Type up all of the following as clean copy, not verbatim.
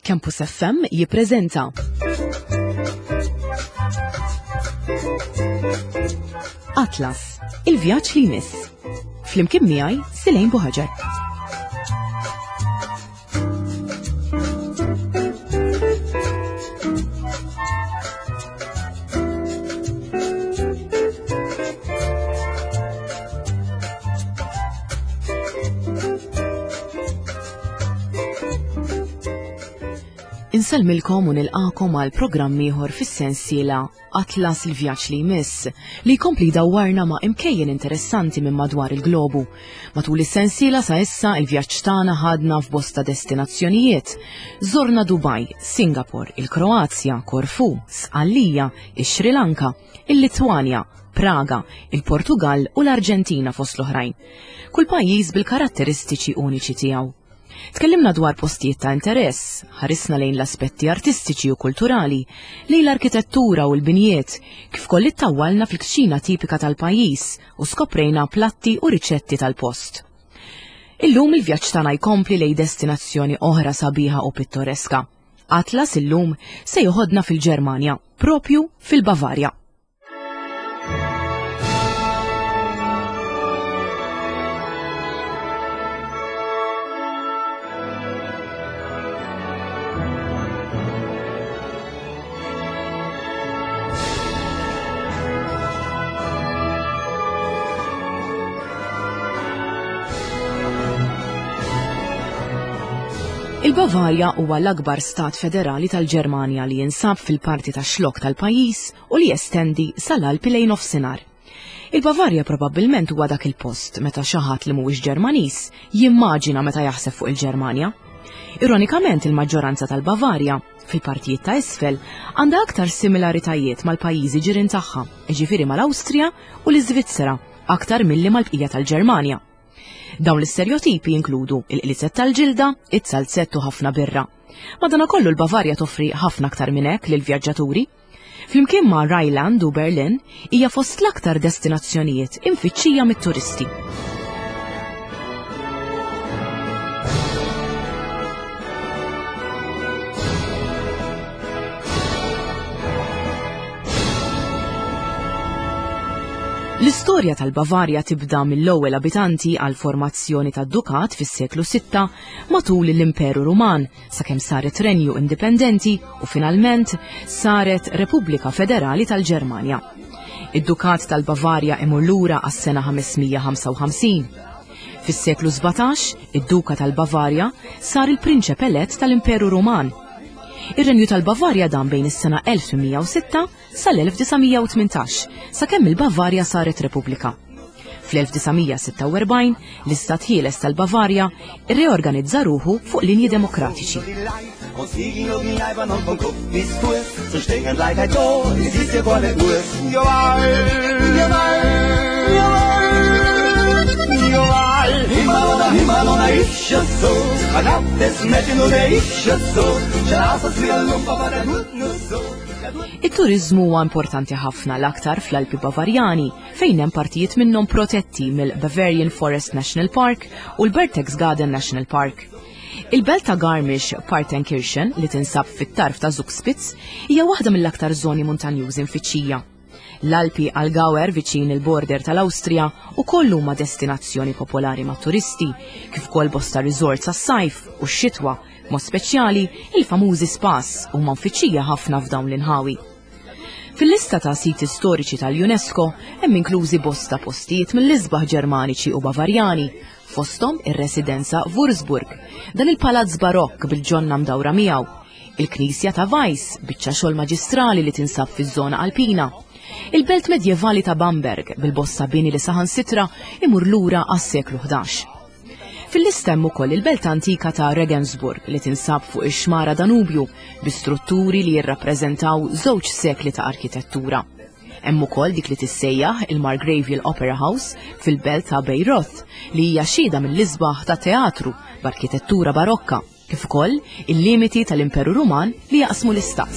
Campus FM jippreżenta Atlas, il-vjaġġ li jmiss. Flimkien miegħi Silejn Buħaġar. Insellmilkom u nilqakom għal programm ieħor fis-sensiela Atlas il-vjaġġ li jmiss li jkompli jdawwarna ma' imkejjen interessanti minn madwar il-globu. Matul is-sensiela sa issa il-vjaġġ tagħna ħadna f'bosta destinazzjonijiet. Żorna Dubai, Singapore, il-Kroazja, Korfu, Sqallija, ix-Sri Lanka, il-Litwanja, Praga, il-Portugall u l-Arġentina fost l-oħrajn. Kull pajjiż bil-karatteristiċi uniċi tiegħu. Tkellimna dwar postijiet ta' interess, ħarisna lejn l-aspetti artistiċi u kulturali, lejn l-arkitettura u l-binjiet, kif koll ittawwalna fil-kċina tipika tal-pajjiż u skoprejna platti u riċetti tal-post. Illum il-vjaġġ tagħna jkompli lejn destinazzjoni oħra sabiħa u pittoreska. Atlas illum se joħodna fil-Ġermanja, propju fil-Bavarja. Il-Bavarja huwa l-akbar stat federali tal-Ġermanja li jinsab fil-parti tax-xlokk tal-pajjiż u li jestendi sal-Alpi lejn nofsinhar. Il-Bavarja probabbilment huwa dak il-post meta xi ħadd li mhuwiex Ġermaniż jimmaġina meta jaħseb fuq il-Ġermanja. Ironikament il-maġġoranza tal-Bavarja, fil-partijiet ta' isfel, għandha aktar similaritajiet mal-pajjiżi ġirien tagħha, jiġifieri mal-Awstrija u l-Iżvizzera, aktar milli mal-bqija tal-Ġermanja. Dawn l-isterjotipi jinkludu il-qliezet tal-ġilda, it-salzett u ħafna birra. Madanakollu l-Bavarja toffri ħafna aktar minn hekk lill-vjaġġaturi. Flimkien ma' Rheinland u Berlin, hija fost l-aktar destinazzjonijiet imfittxija mit-turisti. L-istorja tal-Bavarja tibda mill-ewwel abitanti għall-formazzjoni tad-dukat fis-seklu 6 matul l-Imperu Ruman sakemm saret renju indipendenti u finalment saret Repubblika Federali tal-Ġermanja. Id-Dukat tal-Bavarja imur lura għas-sena 555. Fis-seklu 17, id-Duka tal-Bavarja sar il-prinċep elett tal-Imperu Ruman. Ir-Renju tal-Bavarja dam bejn is-sena 1806 sal-1918, sakemm il-Bavarja saret Repubblika. Fl-1946, l-Istat Ħieles tal-Bavarja rreorganizza ruħu fuq linji demokratiċi. It-turiżmu huwa importanti ħafna l-aktar fl-Alpi Bavarjani, fejn hemm partijiet minnhom protetti mill-Bavarian Forest National Park u l-Berchtesgaden National Park. Il-belt ta' Garmisch-Partenkirchen, li tinsab fit-tarf ta' Zugspitz, hija waħda mill-aktar żoni muntanjużi mfittxija. L-Alpi Allgäuer viċin il-border tal-Awstrija ukoll huma destinazzjoni popolari mat-turisti, kif ukoll bosta resorts għas-sajf u x-xitwa, b'mod speċjali il-famużi spas huma mfittxija ħafna f'dawn l-inħawi. Fil-lista ta' siti storiċi tal-UNESCO hemm inklużi bosta postijiet mill-isbaħ Ġermaniċi u Bavarjani, fosthom ir-residenza Wurzburg, dan il-palazz barokk bil-ġonna mdawra miegħu, il-knisja ta' Weiss, biċċa xogħol maġistrali li tinsab fiż-żona Alpina, il-belt medjevali ta' Bamberg bil-bosta bini li saħansitra imur lura għas-seklu 11. Fil-lista hemm ukoll il-belt antika ta' Regensburg li tinsab fuq ix-xmara Danubju bi strutturi li jirrappreżentaw żewġ sekli ta' arkitettura. Hemm ukoll dik li tissejjaħ il-Margravial Opera House fil-belt ta' Bayreuth li hija xhieda mill-isbaħ ta' teatru b'arkitettura barokka kif ukoll il-limiti tal-Imperu Ruman li jaqsmu l-istat.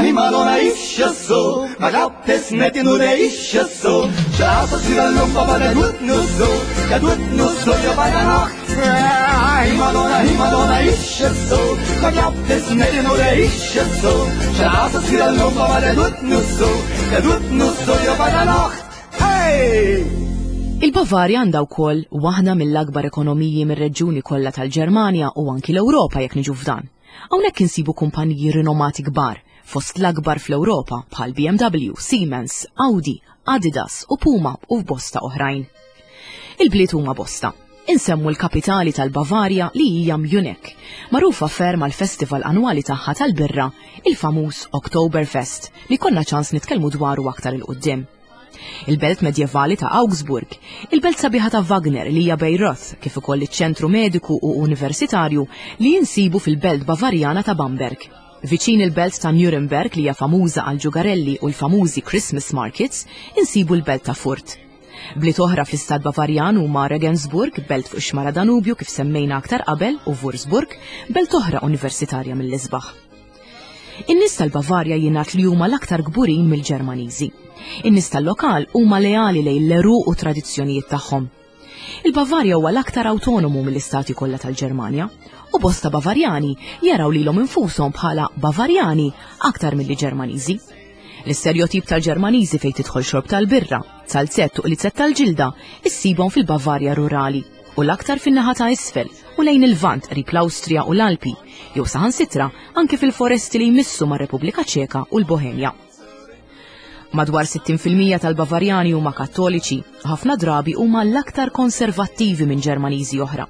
Hey Madonna, ist ja so. Man glaubt es nicht, nur der ist ja so. Schau, was wieder Lump, aber der tut nur so. Der tut nur so, ja bei der Nacht. Hey Madonna, hey Madonna, ist ja so. Man glaubt es nicht, nur der ist ja so. Schau, was wieder Lump, aber der tut nur so. Der tut nur so, ja bei der Nacht. Hey! Il-Bavarja għandha wkoll waħda mill-akbar ekonomiji mir-reġjuni kollha tal-Ġermanja u anki l-Ewropa jekk niġu f'dan. Hawnhekk insibu kumpaniji rinomati kbar fost l-akbar fl-Ewropa bħal BMW, Siemens, Audi, Adidas u Puma u bosta oħrajn. Il-bliet huma bosta. Insemmu l-kapitali tal-Bavarja li hija Munich, magħrufa ferm għall-festival annwali tagħha tal-birra, il-famuż Oktoberfest, li konna ċans nitkellmu dwaru aktar 'il quddiem. Il-belt medjevali ta' Augsburg, il-belt sabiħa ta' Wagner li hija Bayreuth, kif ukoll iċ-ċentru mediku u universitarju li jinsibu fil-belt Bavarjana ta' Bamberg. Viċin il-belt ta' Nuremberg li hija famuża għal ġugarelli u l-famużi Christmas markets, insibu l-belt ta' Furt. Bliet oħra fl-istat Bavarjan huma Regensburg, belt fuq ix-xmara Danubju kif semmejna aktar qabel, u Wurzburg, belt oħra universitarja mill-isbaħ. In-nies tal-Bavarja jingħad li huma l-aktar kburin mill-Ġermaniżi. In-nies tal-lokal huma leali lejn l-għeruq u tradizzjonijiet tagħhom. Il-Bavarja huwa l-aktar awtonomu mill-istati kollha tal-Ġermanja u bosta Bavarjani jaraw lilhom infushom bħala Bavarjani aktar milli Ġermaniżi. L-isterjotip tal-Ġermaniżi fejn tidħol xorb tal-birra, zalzett u qliezet tal-ġilda issibhom fil-Bavarja rurali u l-aktar fin-naħa ta' isfel u lejn il-Lvant qrib l-Awstrija u l-Alpi, jew saħansitra anke fil-foresti li jmissu mar-Repubblika Ċeka u l-Bohemja. Madwar 60% tal-Bavarjani huma Kattoliċi, u ħafna drabi huma l-aktar konservattivi minn Ġermaniżi oħra.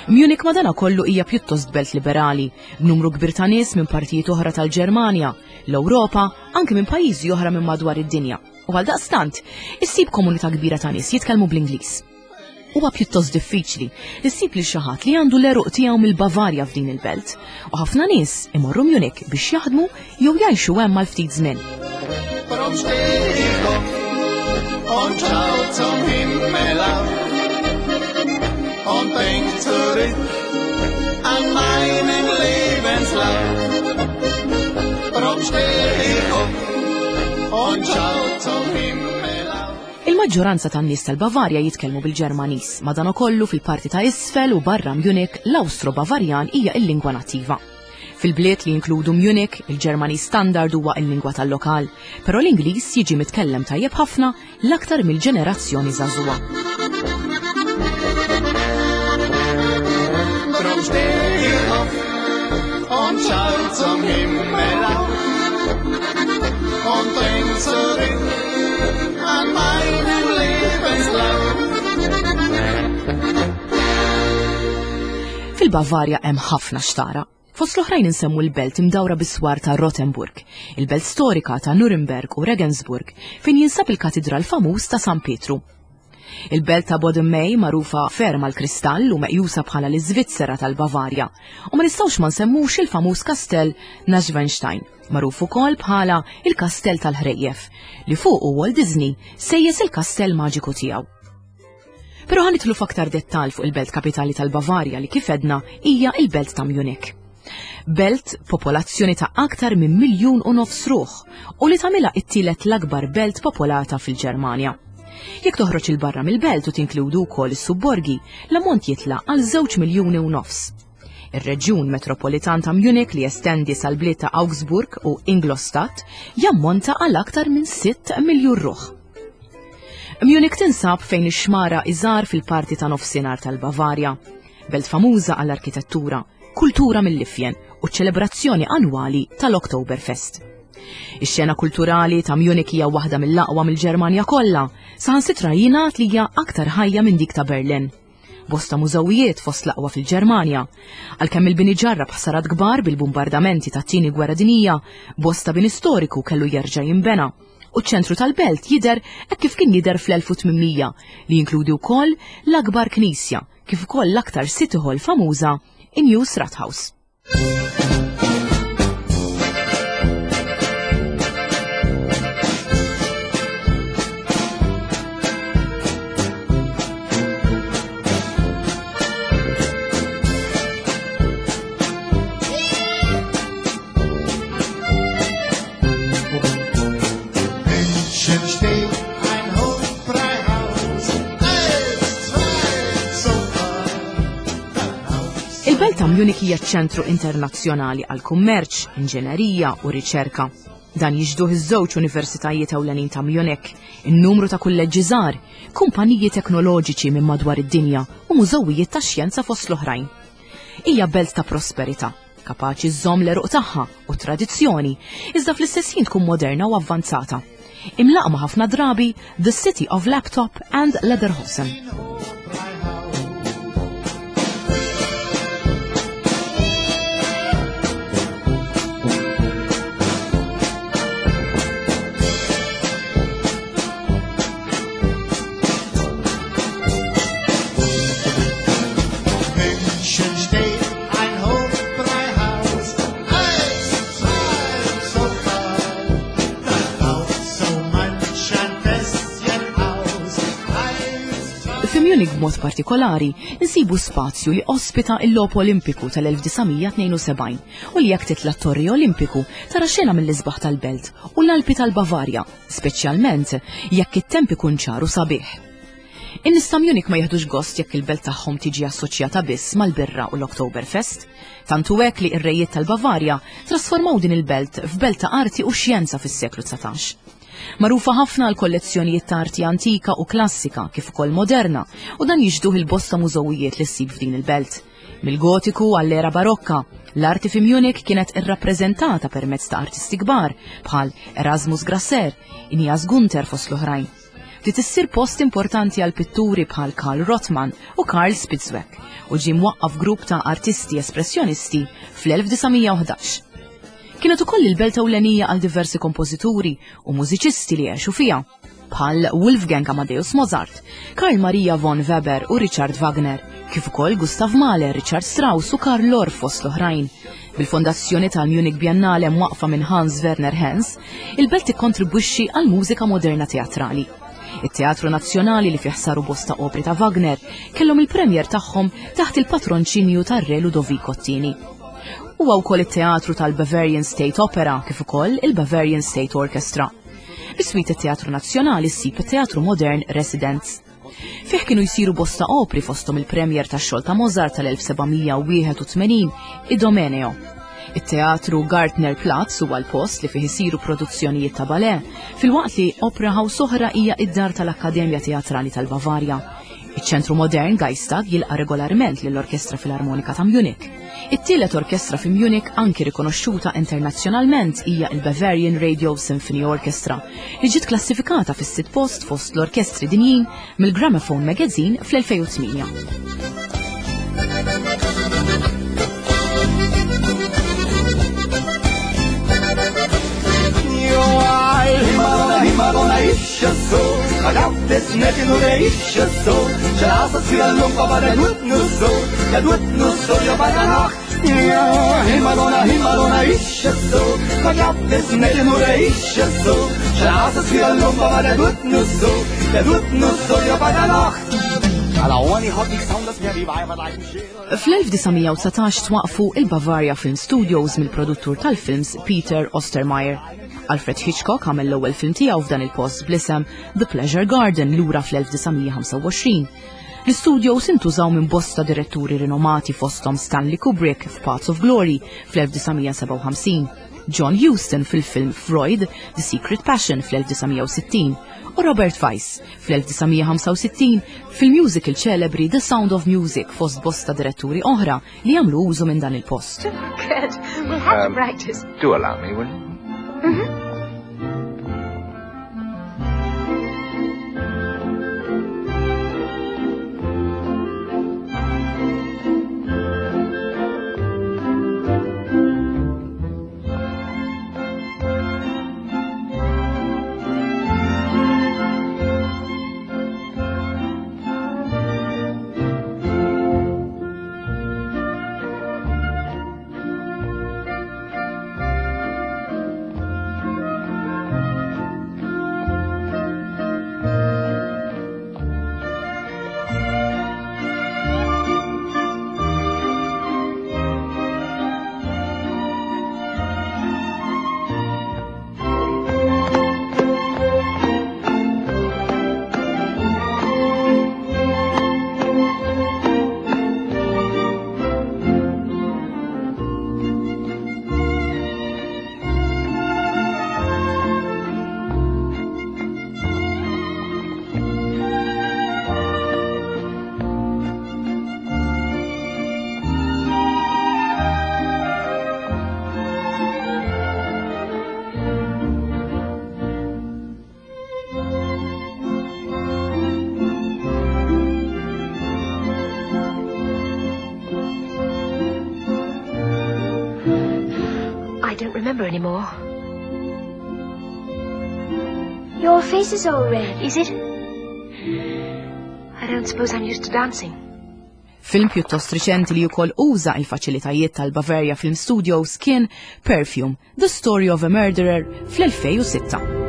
Munich madanakollu hija pjuttost belt liberali, b'numru kbir ta' nies minn partijiet oħra tal-Ġermanja, l-Ewropa, anke minn pajjiżi oħra minn madwar id-dinja. U għaldaqstant, issib komunità kbira ta' nies jitkellmu bl-Ingliż. Huwa pjuttost diffiċli li ssib lil xi ħadd li għandu l-għeruq tiegħu mill-Bavarja f'din il-belt, u ħafna nies imorru Munich biex jaħdmu jew jgħixu hemm għal ftit żmien. Drum steh ich auf und schau zum Himmel auf und denk zurück an meinen Lebenslauf. Drum steh ich auf und schau zum Himmel auf. Il-maġġoranza tan-nies tal-Bavarja jitkellmu bil-Ġermaniż, madankollu fil-parti ta' isfel u barra Munich l-Awstro-Bavarjan hija l-lingwa nattiva. Fil-bliet li jinkludu Munich, il-Ġermaniż standard huwa l-lingwa tal-lokal, però l-Ingliż jiġi mitkellem tajjeb ħafna l-aktar mill-ġenerazzjoni żagħżugħa. Drum steh ich auf und schau zum Himmel auf und denk zurück an meinen Lebenslauf. Fil-Bavarja hemm ħafna xtara. Fost l-oħrajn insemmu l-belt imdawra bis-swar ta' Rothenburg, il-belt storika ta' Nuremberg u Regensburg, fejn jinsab il-katidral famuż ta' San Pietru. Il-belt ta' Boddenmey magħrufa ferm għall-kristall u meqjusa bħala l-Iżvizzera tal-Bavarja, u ma nistgħux ma nsemmux il-famuż kastell Neuschwanstein, magħruf ukoll bħala il-Kastell tal-Ħrejjef, li fuqu Walt Disney sejjes il-kastell maġiku tiegħu. Però ħa nidħlu f'aktar dettall fuq il-belt kapitali tal-Bavarja li kif għedna hija il-belt ta' Munich. Belt popolazzjoni ta' aktar minn 1.5 miljun ruħ u li tagħmilha it-tielet l-akbar belt popolata fil-Ġermanja. Jekk toħroġ 'il barra mill-belt u tinkludu wkoll is-subborgi, l-ammont jitla' għal 2.5 miljuni. Ir-reġjun metropolitan ta' Munich li jestendi sal-bliet ta' Augsburg u Ingolstadt jammonta għal aktar minn 6 miljun ruħ. Munich tinsab fejn ix-xmara Isar fil-parti ta' nofsinhar tal-Bavarja, belt famuża għall-arkitettura, kultura mill-ifjen u ċelebrazzjoni annwali tal-Oktoberfest. Ix-xena kulturali ta' Munich hija waħda mill-aqwa mill-Ġermanja kollha, saħansitra jingħad li hija aktar ħajja minn dik ta' Berlin. Bosta mużewijiet fost l-aqwa fil-Ġermanja. Għalkemm il-bini ġarrab ħsarat kbar bil-bombardamenti tat-tieni gwerra dinjija, bosta bini storiku kellu jerġa' jinbena. U ċ-ċentru tal-belt jidher hekk kif kien jidher fl-1800 li jinkludi wkoll l-akbar knisja kif ukoll l-aktar City Hall famuża, in-News Rathaus. Il-belt ta' Munich hija ċentru internazzjonali għal kummerċ, inġenerija u riċerka. Dan jixduh iż-żewġ universitajiet ewlenin ta' Munich, in-numru ta' kulleġġi żgħar, kumpaniji teknoloġiċi minn madwar id-dinja u mużewijiet tax-xjenza fost l-oħrajn. Hija belt ta' prosperità, kapaċi żżomm l-għeruq tagħha u tradizzjoni, iżda fl-istess ħin tkun moderna u avvanzata. Imlaqma ħafna drabi The City of Laptop and Lederhosen. München steht ein Hofbräuhaus, eins, zwei und so fort. Da raucht so manch ein Fässchen aus. Eins, zwei, Fi Munich b'mod partikolari, insibu spazju li ospita il-Logħob Olimpiku tal-1972 u li jekk titla' t-Torri Olimpiku tara xena mill-isbaħ tal-belt u l-Alpi tal-Bavarja, speċjalment jekk it-temp ikun ċar u sabiħ. In-nies ta' Munich ma jieħdux gost jekk il-belt tagħhom tiġi assoċjata biss mal-birra u l-Oktoberfest. Tant hu hekk li r-rejiet tal-Bavarja trasformaw din il-belt f'belt ta' arti u xjenza fis-seklu 19. Magħrufa ħafna għal kollezzjonijiet ta' arti antika u klassika kif ukoll moderna u dan jixduh il-bosta mużewijiet li ssib f'din il-belt. Mill-Gotiku għall-era Barokka, l-arti fi Munich kienet irrappreżentata permezz ta' artisti kbar bħal Erasmus Grasser, Ignaz Gunther fost l-oħrajn. Bdiet issir post importanti għal pitturi bħal Karl Rothmann u Karl Spitzweg u ġie mwaqqaf grupp ta' artisti espressjonisti fl-1911. Kienet ukoll il-belt ewlenija għal diversi kompożituri u mużiċisti li għexu fiha, bħal Wolfgang Amadeus Mozart, Karl Maria von Weber u Richard Wagner, kif ukoll Gustav Mahler, Richard Strauss u Karl Orff fost l-oħrajn. Bil-fondazzjoni tal-Munich Biennale mwaqfa minn Hans Werner Henze, il-belt tikkontribwixxi għal mużika moderna teatrali. It-Teatru Nazzjonali li fih saru bosta opri ta' Wagner kellhom il-premier tagħhom taħt il-patronċinju tar-Re Ludovico II. Huwa wkoll it-teatru tal-Bavarian State Opera kif ukoll il-Bavarian State Orchestra. Biswit it-Teatru Nazzjonali ssib it-Teatru Modern Residence. Fih kienu jsiru bosta opri fosthom il-premier tax-xogħol ta' Mozart tal-1781, Idomeneo. It-Teatru Gartner Platz huwa l-post li fih isiru produzzjonijiet ta' ballet, filwaqt li Opera House oħra hija id-dar tal-Akkademja Teatrali tal-Bavarja. Iċ-ċentru modern Geistag jilqa' regolarment lill-Orkestra Filarmonika ta' Munich. It-tielet orkestra fi Munich anki rikonoxxuta internazzjonalment hija il-Bavarian Radio Symphony Orchestra, li ġiet klassifikata fis-sitt post fost l-orkestri dinjin mill-Gramophone Magazine fl-2008. Madonna, ist es so, man glaubt es nicht, nur der ist es so. Straße aber der tut nur so, der tut nur so, ja bei der Nacht. Ja, hey Madonna, hey Madonna, ist es so, man glaubt es nicht, nur der ist es so. Straße aber der tut nur so, der tut nur so, ja bei der Nacht. Fl-1919 twaqfu il-Bavaria Film Studios mill-produttur tal-films Peter Ostermeyer. Alfred Hitchcock għamel l-ewwel film tiegħu f'dan il-post bl-isem The Pleasure Garden lura fl-1925. L-studios intużaw minn bosta diretturi rinomati fosthom Stanley Kubrick f'Paths of Glory fl-1957, John Huston fil-film Freud, The Secret Passion fl-1960 u Robert Weiss fl-1965 fil-musical ċelebri The Sound of Music fost bosta diretturi oħra li jagħmlu użu minn dan il-post. Good. We'll have to practice. Do allow me, will you? I don't remember anymore. Your face is all red. Is it? I don't suppose I'm used to dancing. Film pjuttost riċenti li wkoll uża il-faċilitajiet tal-Bavaria Film Studios kien Perfume, The Story of a Murderer fl-2006.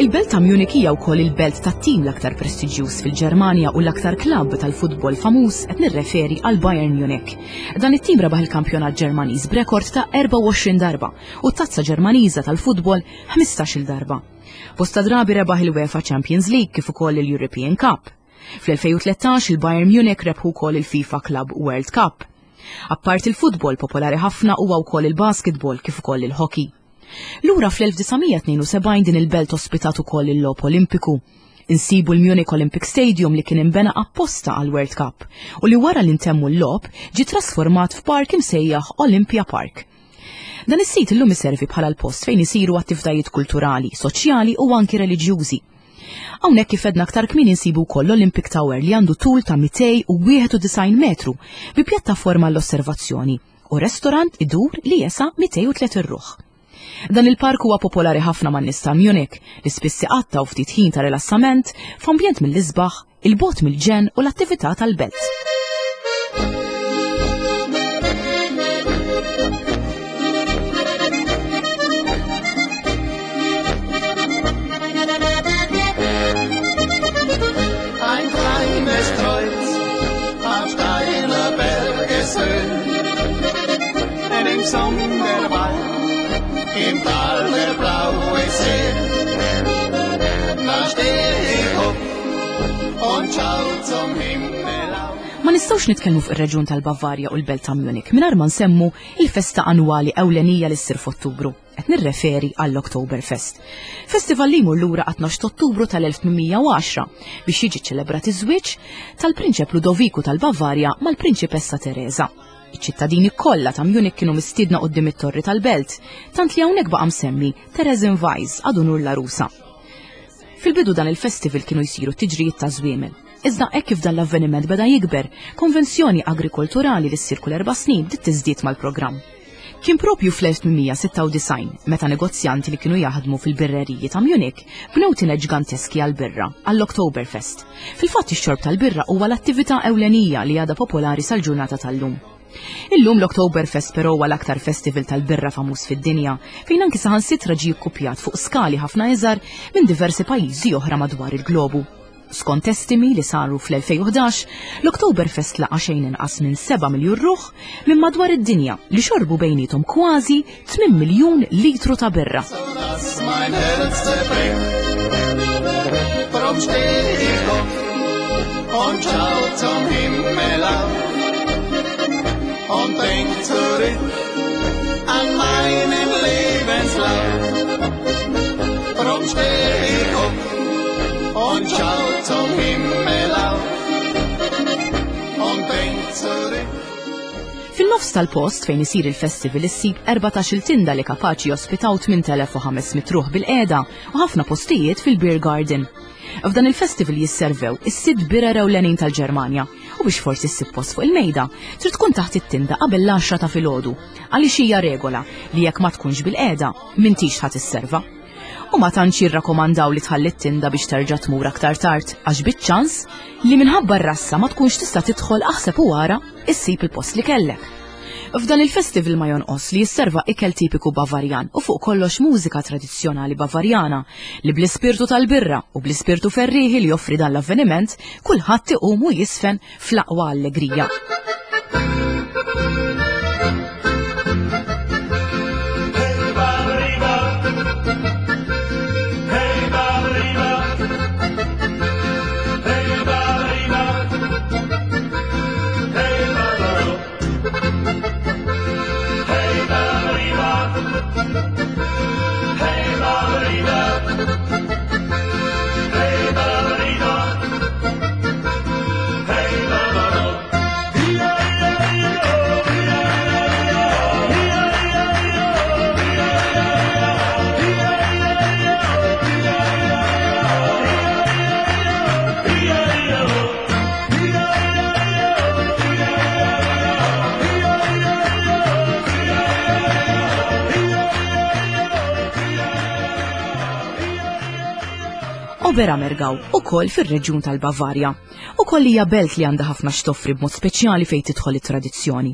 Il-belt ta' Munich hija wkoll il-belt tat-tim l-aktar prestiġjuż fil-Ġermanja u l-aktar klabb tal-futbol famuż qed nirreferi għal Bayern Munich. Dan it-tim rebaħ il-kampjonat Ġermaniż b'rekord ta' 24 darba u t-tazza Ġermaniża tal-futbol 15-il darba. Bosta drabi rebaħ il-UEFA Champions League kif ukoll il-European Cup. Fl-2013 il-Bayern Munich rebħu wkoll il-FIFA Club World Cup. Apparti il-futbol popolari ħafna huwa wkoll il-basketball kif ukoll il-hockey. Lura fl-1972 din il-belt ospitat ukoll il-logħob Olimpiku. Insibu l-Munich Olympic Stadium li kien imbena apposta għal World Cup u li wara li ntemmu l-logħob ġie trasformat f'park imsejjaħ Olympia Park. Dan is-sit illum iservi bħala l-post fejn isiru attivitajiet kulturali, soċjali u anki reliġjużi. Hawnhekk kif għedna aktar kmieni nsibu wkoll l-Olympic Tower li għandu tul ta' 291 metru bi pjattaforma l-osservazzjoni u restorant idur li jesa 203 ruħ. Dan il-park huwa popolari ħafna man-nies ta' Munich li spiss iqattgħu ftit ħin ta' rilassament f'ambjent mill-isbaħ, il-bogħod mill-ġenn u l-attività tal-belt. Ein kleines Kreuz auf steiler Bergeshöhe, denn im Sommerwald, im Tal der blaue See, da steh ich auf und schau zum Himmel auf. Ma nistgħux nitkellmu fuq ir-reġjun tal-Bavarja u l-belt ta' Munich mingħajr ma nsemmu il-festa annwali ewlenija li ssir f'Ottubru. Qed nirreferi għall-Oktoberfest. Festival li jmur lura għat-12 Ottubru tal-1810 biex jiġi ċelebrat iż-żwieġ tal-Prinċep Ludoviku tal-Bavarja mal-Prinċipessa Teresa. Iċ-ċittadini kollha ta' Munich kienu mistiedna quddiem it-torri tal-belt, tant li hawnhekk baqa' msemmi Theresienwiese għad unur l-għarusa. Fil-bidu dan il-festival kienu jsiru tiġrijiet ta' żwiemel. Iżda hekk kif dan l-avveniment beda jikber, konvenzjoni agrikolturali li ssir kull erba' snin bdiet tiżdied mal-programm. Kien propju fl-1896 meta negozjanti li kienu jaħdmu fil-birreriji ta' Munich bnew tined ġganteski għall-birra għall-Oktoberfest. Fil-fatt ix-xorb tal-birra huwa l-attività ewlenija li għadha popolari sal-ġurnata tal-lum. Illum l-Oktoberfest però huwa l-aktar festival tal-birra famuż fid-dinja, fejn anki saħansitra ġie kkupjat fuq skali ħafna iżgħar minn diversi pajjiżi oħra madwar il-globu. Skont estimi li saru fl-2011, l-Oktoberfest laqa' xejn inqas minn 7 miljun ruħ minn madwar id-dinja li xorbu bejniethom kważi 8 miljun litru ta' birra. Dass mein Herz zerbricht, drum steh ich auf und schau zum Himmel auf und denk zurück an meinen Lebenslauf. Drum steh ich auf und schau zum Himmel auf und denk zurück. Fin-nofs tal-post fejn isir il-festival issib 14-il tinda li kapaċi jospitaw 8500 ruħ bil-qiegħda u ħafna postijiet fil-Beer Garden. F'dan il-festival jisservew is-sitt birra ewlenin tal-Ġermanja u biex forsi ssib post fuq il-mejda trid tkun taħt it-tinda qabel l-10 ta' filgħodu għaliex hija regola li jekk ma tkunx bil-qiegħda m'intix ħa tisserva. U ma tantx jirrakkomandaw li tħalli t-tinda biex terġa' tmur aktar tard għax biċ-ċans li minħabba r-rassa ma tkunx tista' tidħol aħseb u ara issib il-post li kellek. F'dan il-festival ma jonqos li jisserva ikel tipiku Bavarjan u fuq kollox mużika tradizzjonali Bavarjana li bl-ispirtu tal-birra u bl-ispirtu ferrieħi li joffri dan l-avveniment kulħadd iqum u jisfen fl-aqwa allegrija. Oberammergau, ukoll fir-reġjun tal-Bavarja. Ukoll hija belt li għandha ħafna x'toffri b'mod speċjali fejn tidħol it-tradizzjoni.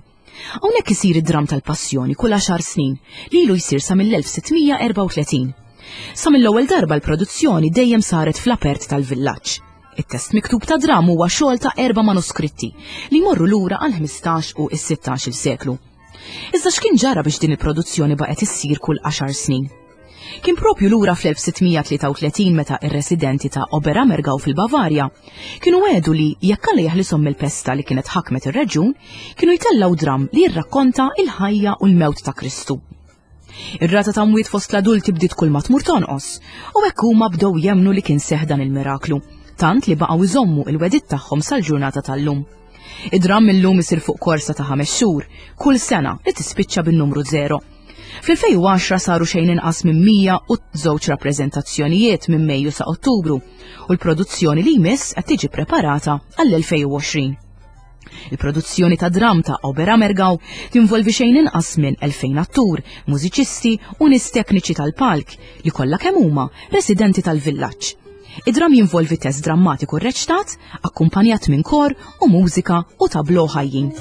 Hawnhekk isir id-dramm tal-Passjoni kull għaxar snin, li ilu jsir sa mill-1634. Sa mill-ewwel darba l-produzzjoni dejjem saret fl-apert tal-villaġġ. It-test miktub ta' dramm huwa xogħol ta' erba' manuskritti li jmorru lura għall-15 u s-16-il seklu. Iżda x'kien ġara biex din il-produzzjoni baqgħet issir kull għaxar snin? Kien propju lura fl-1633 meta ir-residenti ta' Oberammergau fil-Bavarja kienu għedu li jekk Alla jeħlishom mill-pesta li kienet ħakmet ir-reġjun, kienu jtellgħu dramm li jirrakkonta il-ħajja u l-mewt ta' Kristu. Ir-rata ta' mwiet fost l-adulti bdiet kull ma tmur tonqos, u hekk huma bdew jemmnu li kien seħ dan il-miraklu, tant li baqgħu jżommu il-wedit tagħhom sal-ġurnata tal-lum. Id-dramm illum isir fuq korsa ta' ħames xhur, kull sena li tispiċċa bin-numru zero. Fl-2010 saru xejn inqas minn 102 rappreżentazzjonijiet minn Mejju sa Ottubru u l-produzzjoni li jmiss qed tiġi preparata għall-2020. Il-produzzjoni ta' dramm ta' Oberammergau tinvolvi xejn inqas minn 2000 attur, mużiċisti u nies tekniċi tal-palk li kollha kemm huma residenti tal-villaġġ. Id-dramm jinvolvi test drammatiku rreċtat, akkumpanjat minn kor u mużika u tablo ħajjin.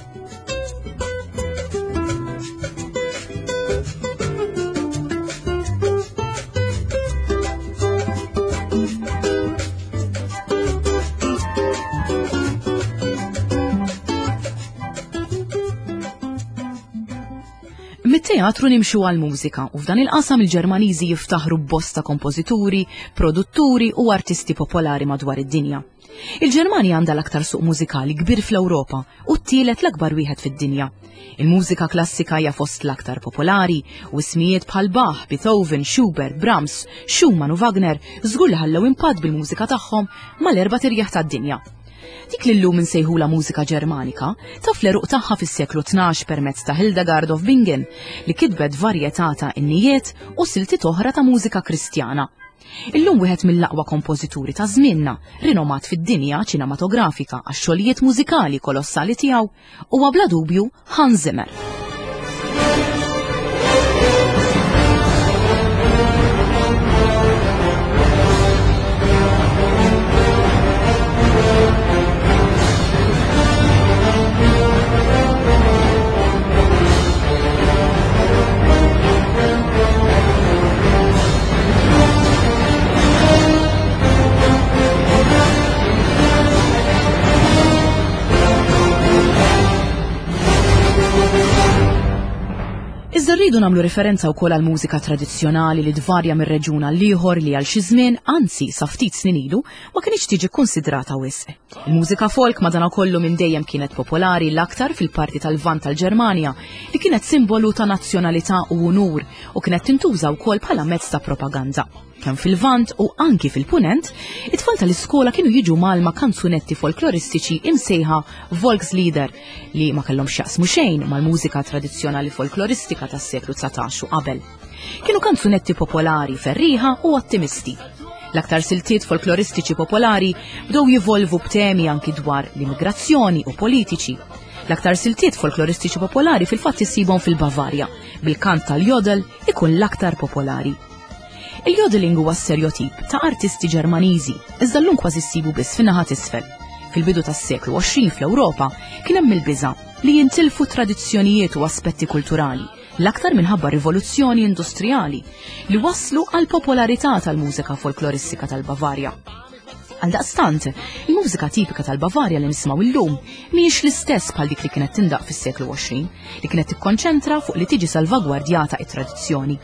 Mit-teatru nimxu għall-mużika u f'dan il-qasam il-Ġermaniżi jiftaħru b'bosta kompożituri, produtturi u artisti popolari madwar id-dinja. Il-Ġermanja għandha l-aktar suq mużikali kbir fl-Ewropa u t-tielet l-akbar wieħed fid-dinja. Il-mużika klassika hija fost l-aktar popolari u ismijiet bħal Bach, Beethoven, Schubert, Brahms, Schumann u Wagner żgur li ħallew impatt bil-mużika tagħhom mal-erba' tirjaħ tad-dinja. Dik li llum insejħulha mużika Ġermanika taf l-għeruq tagħha fis-seklu 12 permezz ta' Hildegard of Bingen li kitbet varjetà ta' innijiet u siltiet oħra ta' mużika Kristjana. Illum wieħed mill-aqwa kompożituri ta' żmienna, rinomat fid-dinja ċinematografika għax-xogħlijiet mużikali kolossali tiegħu, huwa bla dubju Hans Zimmer. Iżda rridu nagħmlu referenza wkoll għal mużika tradizzjonali li tvarja minn reġjun għal ieħor li għal xi żmien, anzi sa ftit snin ilu, ma kinitx tiġi kkunsidrata wisq. Il-mużika folk madankollu minn dejjem kienet popolari l-aktar fil-parti tal-Lvant tal-Ġermanja li kienet simbolu ta' nazzjonalità u unur u kienet tintuża wkoll bħala mezz ta' propaganda. Kemm fil-Lvant u anki fil-Punent, it-tfal tal-iskola kienu jiġu mgħallma kanzunetti folkloristiċi imsejħa Volkslieder li ma kellhom x'jaqsmu xejn mal-mużika tradizzjonali folkloristika tas-seklu 19 u qabel. Kienu kanzunetti popolari, ferrieħa u ottimisti. L-aktar siltiet folkloristiċi popolari bdew jivolvu b'temi anki dwar l-immigrazzjoni u politiċi. L-aktar siltiet folkloristiċi popolari fil-fatt issibhom fil-Bavarja, bil-kant tal-jodel ikun l-aktar popolari. Il-jodeling huwa stereotip ta' artisti Ġermaniżi, iżda llum kważi ssibu biss fin-naħa t'isfel. Fil-bidu tas-seklu 20 fl-Ewropa kien hemm il-biża' li jintilfu tradizzjonijiet u aspetti kulturali, l-aktar minħabba rivoluzzjoni industrijali li wasslu għal popolarità tal-mużika folkloristika tal-Bavarja. Għaldaqstant, il-mużika tipika tal-Bavarja li nismgħu llum mhijiex l-istess bħal dik li kienet tindaq fis-seklu 20, li kienet tikkonċentra fuq li tiġi salvagwardjata it-tradizzjoni.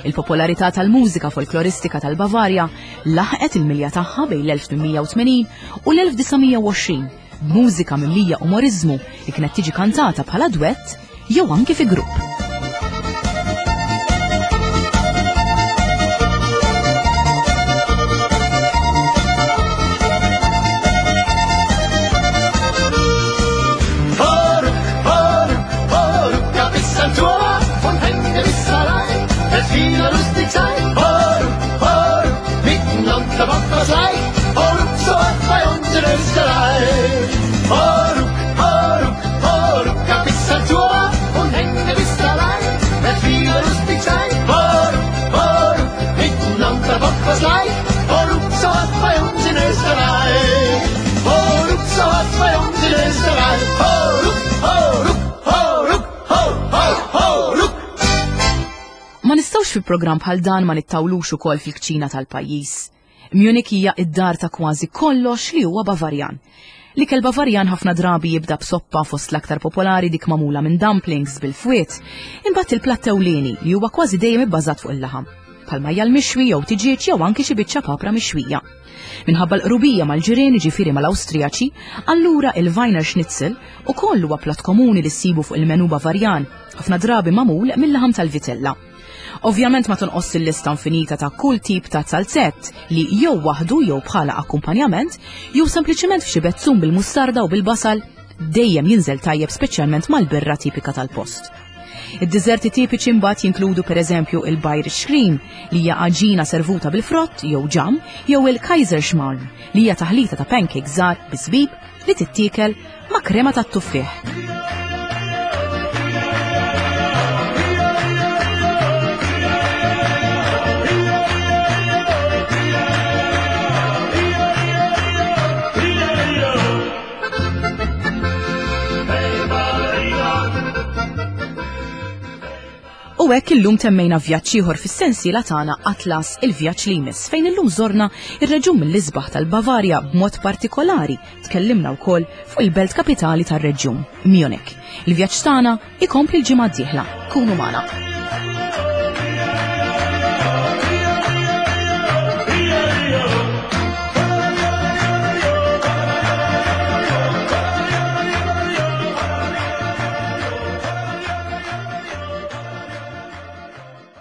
Il-popolarità tal-mużika folkloristika tal-Bavarja laħqet il-milja tagħha bejn l-1880 u l-1920 b'mużika mimlija umoriżmu li kienet tiġi kantata bħala dwett jew anki fi grupp. Österreich. Ho, ruck, ho, ruck, ho, ruck, ho, ho, ho, ruck. Ma nistgħux fi programm bħal dan ma nittawlux ukoll fil-kċina tal-pajjiż. Munich hija id-dar ta' kważi kollox li huwa Bavarjan. L-ikel Bavarjan ħafna drabi jibda b'soppa fost l-aktar popolari dik magħmula minn dumplings bil-fwiet, imbagħad il-platt ewlieni li huwa kważi dejjem ibbażat fuq il-laħam, bħal majjal mixwi jew tiġieġ jew anki xi biċċa papra mixwija. Minħabba l-qrubija mal-ġirien ġifieri mal-Awstrijaċi, allura il-Weiner Schnitzel ukoll huwa platt komuni li ssibu fuq il-menu Bavarjan, ħafna drabi magħmul mill-laħam tal-vitella. Ovvjament ma tonqos il-lista infinita ta' kull tip ta' zalzett li jew waħdu jew bħala akkumpanjament, jew sempliċement f'xi bezzun bil-mustarda u bil-basal dejjem jinżel tajjeb speċjalment mal-birra tipika tal-post. Id-diżerti tipiċi mbagħad jinkludu pereżempju il-Bayerisch Cream li hija għaġina servuta bil-frott jew ġam, jew il-Kaiserschmarrn li hija taħlita ta' pancake żgħar bi żbib li tittiekel ma' krema tat-tuffieħ. U hekk illum temmejna vjaġġ ieħor fis-sensiela tagħna Atlas il-vjaġġ li jmiss fejn illum żorna ir-reġjun mill-isbaħ tal-Bavarja b'mod partikolari tkellimna wkoll fuq il-belt kapitali tar-reġjun, Munich. Il-vjaġġ tagħna ikompli l-ġimgħa d-dieħla. Kunu magħna.